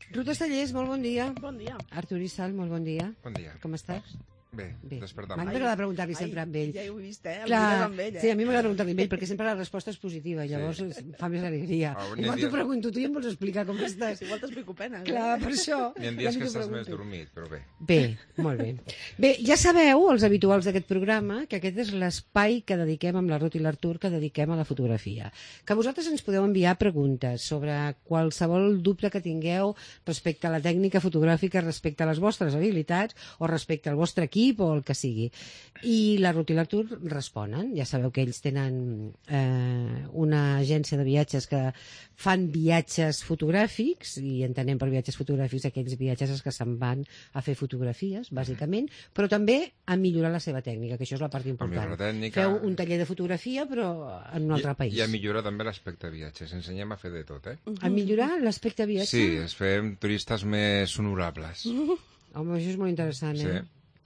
Ruth Estellés, molt bon dia. Bon dia. Artur Issal, molt bon dia. Bon dia. Com estàs? Bé, despertant. M'agrada preguntar-li sempre amb ell. Ja ho he vist, el Clar, mires amb ell, sí, a mi m'agrada preguntar-li amb ell, perquè sempre la resposta és positiva, llavors fa més alegria. Igual t'ho pregunto, tu ja em vols explicar com estàs. Igual t'explico penes. Clar, per això. Hi ha dies que estàs més dormit, però bé. Bé, molt bé. Bé, ja sabeu, els habituals d'aquest programa, que aquest és l'espai que dediquem amb la Ruth i l'Artur, que dediquem a la fotografia. Que vosaltres ens podeu enviar preguntes sobre qualsevol dubte que tingueu respecte a la tècnica fotogràfica, respecte a les vostres habilitats, o respecte al vostre equip, o el que sigui. I la Ruth i l'Artur responen. Ja sabeu que ells tenen una agència de viatges que fan viatges fotogràfics, i entenem per viatges fotogràfics aquells viatges que se'n van a fer fotografies, bàsicament, però també a millorar la seva tècnica, que això és la part important. Feu un taller de fotografia, però en un altre país. I a millorar també l'aspecte viatges. Ensenyem a fer de tot, A millorar l'aspecte viatge? Sí, es fem turistes més honorables. Home, això és molt interessant, Sí.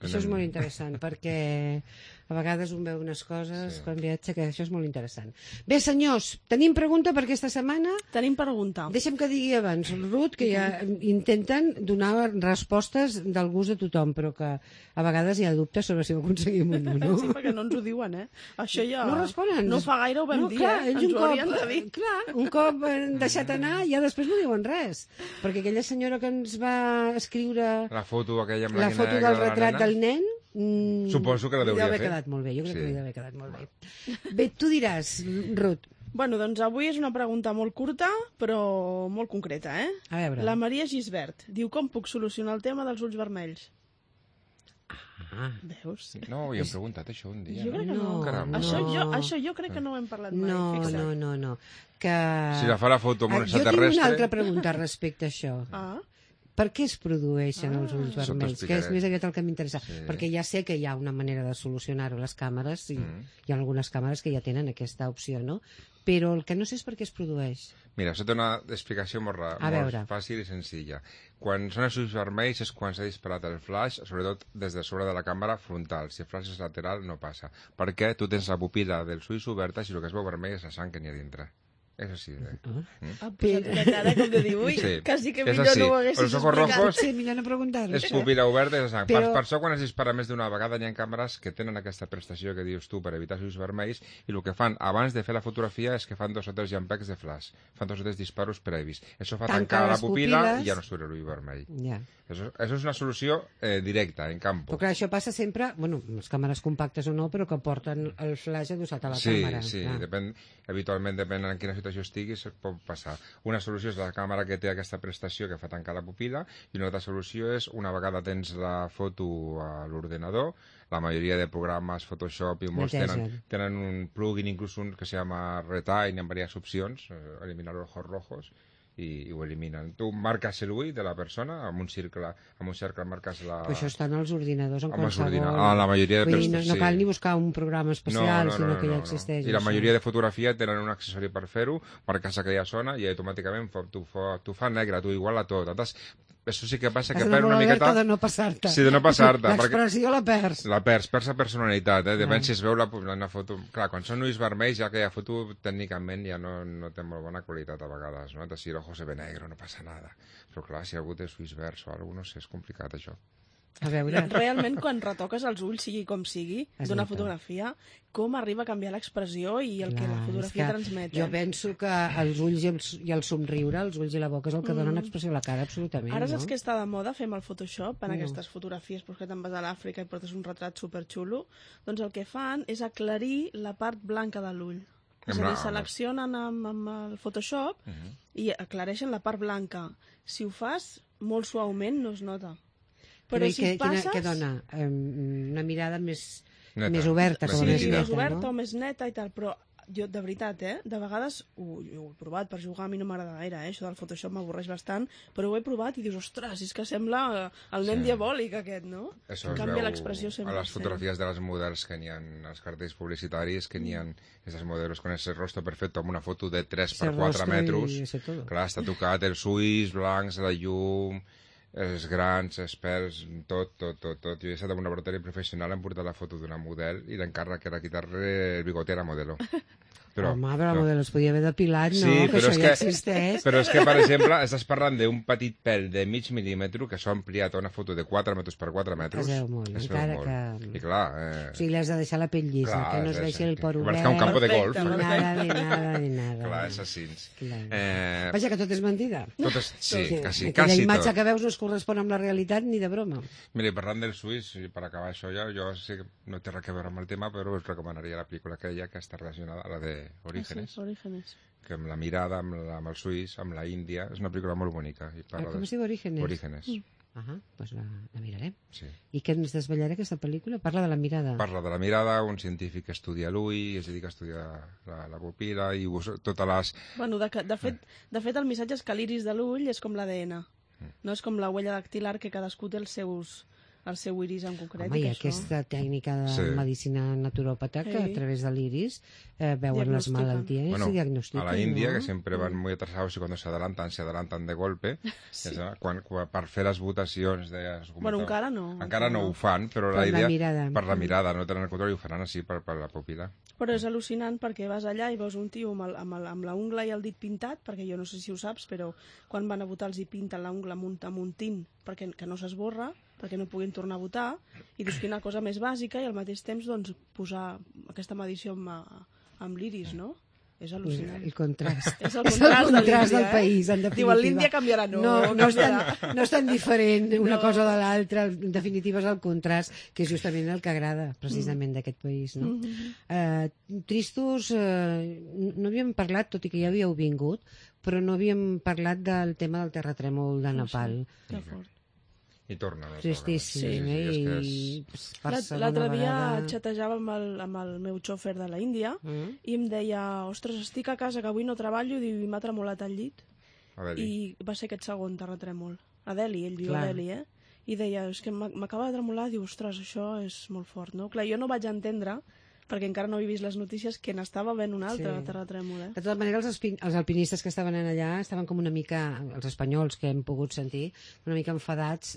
Això és molt interessant, perquè a vegades un veu unes coses quan viatja, que això és molt interessant. Bé, senyors, tenim pregunta per aquesta setmana? Tenim pregunta. Deixa'm que digui abans, Ruth, que ja intenten donar respostes del gust de tothom, però que a vegades hi ha dubtes sobre si ho aconseguim o no. Sí, perquè no ens ho diuen, Això ja... No responen. No fa gaire ho vam dir, clar, Ens ho haurien de dir. Clar, un cop deixat anar, ja després no diuen res. Perquè aquella senyora que ens va escriure La foto aquella amb la la foto del retrat del nen, suposo que la deuria haver fer. quedat molt bé, jo crec que li deu haver quedat molt bé. Bé, tu diràs, Ruth. Bueno, doncs avui és una pregunta molt curta, però molt concreta, A veure. La Maria Gisbert diu: com puc solucionar el tema dels ulls vermells? Veus? No, ho hem preguntat això un dia. Jo crec que no. Caramba. Això jo crec que no ho hem parlat mai, fixa't. No. Que... Si la fa la foto amb un Jo tinc extraterrestre... una altra pregunta respecte a això. Per què es produeixen els ulls vermells? Que és més aviat el que m'interessa. Perquè ja sé que hi ha una manera de solucionar-ho a les càmeres, i hi ha algunes càmeres que ja tenen aquesta opció, no? Però el que no sé és per què es produeix. Mira, això té una explicació molt fàcil i senzilla. Quan són els ulls vermells és quan s'ha disparat el flash, sobretot des de sobre de la càmera frontal. Si el flash és lateral, no passa. Perquè tu tens la pupil·la dels ulls oberta i el que es veu vermell és la sang que n'hi ha dintre. És així, Ha posat una cara com de dir, ui, quasi que millor no ho haguessis explicat. Sí, millor no preguntar-ho. És pupil·la oberta i és sang. Per això, quan es dispara més d'una vegada, hi ha càmeres que tenen aquesta prestació que dius tu per evitar els ulls vermells, i el que fan abans de fer la fotografia és que fan 2 o 3 llampecs de flash. Fan 2 o 3 disparos previs. Això fa tancar la pupil·la i ja no surt l'ull vermell. Això és una solució directa, en camp. Però clar, això passa sempre, bueno, les càmeres compactes o no, però que porten el flash adossat a la càmera. Sí, habitualment depèn en quina situació estiguis, pot passar. Una solució és la càmera que té aquesta prestació que fa tancar la pupil·la, i una altra solució és, una vegada tens la foto a l'ordenador, la majoria de programes Photoshop i molts tenen un plugin, inclús un que se llama Retain, amb diverses opcions, eliminar los ojos rojos, i ho eliminen. Tu marques l'ull de la persona, amb un cercle marques la... Però això està en els ordinadors, en qualsevol... La majoria de prestacions, no cal ni buscar un programa especial, sinó que ja existeix. I la majoria de fotografia tenen un accessori per fer-ho, marques aquella zona i automàticament t'ho fa negre, t'ho iguala tot. Això sí que passa que perd una miqueta... de no passar-te. Sí, de no passar-te. L'expressió la perds. La perds la personalitat. Depèn si es veu la foto... Clar, quan són ulls vermells, ja aquella foto tècnicament ja no té molt bona qualitat a vegades, no? Si l'ojo se ve negre no passa nada. Però clar, si algú té ulls verds o alguna cosa, no sé, és complicat això. A veure... Realment, quan retoques els ulls, sigui com sigui, d'una fotografia, com arriba a canviar l'expressió i el que la fotografia transmet. Jo penso que els ulls i el somriure, els ulls i la boca és el que donen expressió a la cara, absolutament. Ara saps que està de moda, fem el Photoshop en aquestes fotografies, que te'n vas a l'Àfrica i portes un retrat superxulo, doncs el que fan és aclarir la part blanca de l'ull. És a dir, seleccionen amb el Photoshop i aclareixen la part blanca. Si ho fas molt suaument, no es nota. Però si passes... Què dona? Una mirada més oberta. Sí, més oberta o més neta i tal, però jo, de veritat, de vegades ho he provat per jugar, a mi no m'agrada gaire, això del Photoshop m'avorreix bastant, però ho he provat i dius, ostres, és que sembla el nen diabòlic aquest, no? Això en canvi l'expressió a les fotografies de les models que n'hi ha, els cartells publicitaris, que n'hi ha aquests models con ese rostro perfecto, amb una foto de 3 per 4 metres, clar, està tocat, els ulls blancs, la llum... els grans, experts, tot. Jo he estat en un laboratori professional, hem portat la foto d'una model i l'encàrrec era quitar-li el bigote a la modelo. Home, però la model es podia haver depilat, no? Sí, que això ja existeix. Però és que, per exemple, estàs parlant d'un petit pèl de mig mil·límetre que s'ha ampliat a una foto de 4 metres per 4 metres. Es veu molt, encara que... I clar... O sigui, li has de deixar la pell llisa, que no es deixi el por obert. Que un campo de golf. Ni nada. Clar, és així. Vaja, que tot és mentida. Tot és... Sí, quasi tot. Aquella imatge que veus no es correspon amb la realitat ni de broma. Mira, parlant del suís, per acabar això ja, jo sé que no té res a veure amb el tema, però us recomanaria la pel·lícula aquella que està relacionada a la de Orígenes. Orígenes. Que amb la mirada, amb el suís, amb la Índia, és una pel·lícula molt bonica. Com es diu Orígenes? Orígenes. Doncs la mirarem. Sí. I què ens desvetllarà aquesta pel·lícula? Parla de la mirada. Parla de la mirada, un científic estudia l'ull, es dedica a estudiar la pupil·la i totes les... Bueno, de fet, el missatge és que l'iris de l'ull és com l'ADN. No és com la huella dactilar, que cadascú té el seu iris en concret. Home, i aquesta tècnica de medicina naturòpata que a través de l'iris veuen les malalties i diagnostiquen. A la Índia, que sempre van muy atrasados y cuando se adelantan de golpe, per fer les votacions... Bueno, encara no. Encara no ho fan, però la idea... Per la mirada, no tenen el control i ho faran així per la pupil·la. Però és al·lucinant perquè vas allà i veus un tio amb la ungla i el dit pintat, perquè jo no sé si ho saps, però quan van a votar els hi pinten la ungla amb un tint perquè no s'esborra, perquè no puguin tornar a votar, i dius quina cosa més bàsica i al mateix temps doncs, posar aquesta medició amb l'iris, no? És al·lucinant. El contrast. És el contrast del país, en definitiva. Diuen, l'Índia canviarà, no és tan diferent una cosa de l'altra, en definitiva és el contrast, que és justament el que agrada, precisament, d'aquest país, no? Tristos, no havíem parlat, tot i que ja havíeu vingut, però no havíem parlat del tema del terratrèmol de Nepal. Que fort. I torna. Tristíssim, L'altre dia xatejava amb el meu xòfer de la Índia i em deia, ostres, estic a casa que avui no treballo i m'ha tremolat el llit. I va ser aquest segon terratrèmol. A Delhi, ell viu a Delhi, i deia, és que m'acaba de tremolar, diu, ostres, això és molt fort, no? Clar, jo no vaig entendre, perquè encara no he vist les notícies, que n'estava ben un altre terratrèmol. De tota manera, els alpinistes que estaven allà estaven com una mica, els espanyols que hem pogut sentir, una mica enfadats,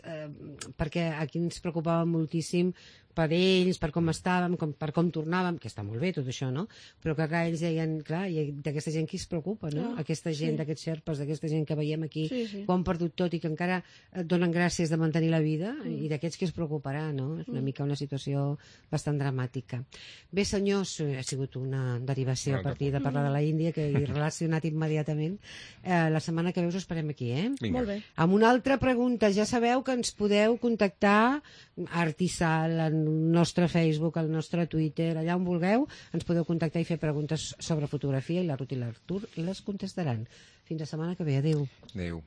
perquè aquí ens preocupava moltíssim per ells, per com estàvem, per com tornàvem, que està molt bé tot això, no? Però que clar, ells deien, clar, i d'aquesta gent qui es preocupa, no? Aquesta gent, d'aquests xerpes, d'aquesta gent que veiem aquí, que ho han perdut tot i que encara donen gràcies de mantenir la vida, i d'aquests qui es preocuparà, no? És una mica una situació bastant dramàtica. Bé, senyors, ha sigut una derivació a partir de parlar de la Índia, que he relacionat immediatament. La setmana que ve us esperem aquí, Molt bé. Amb una altra pregunta, ja sabeu que ens podeu contactar a Artisal, al nostre Facebook, al nostre Twitter, allà on vulgueu, ens podeu contactar i fer preguntes sobre fotografia i la Ruth i l'Artur les contestaran. Fins la setmana que ve. Adéu. Adéu.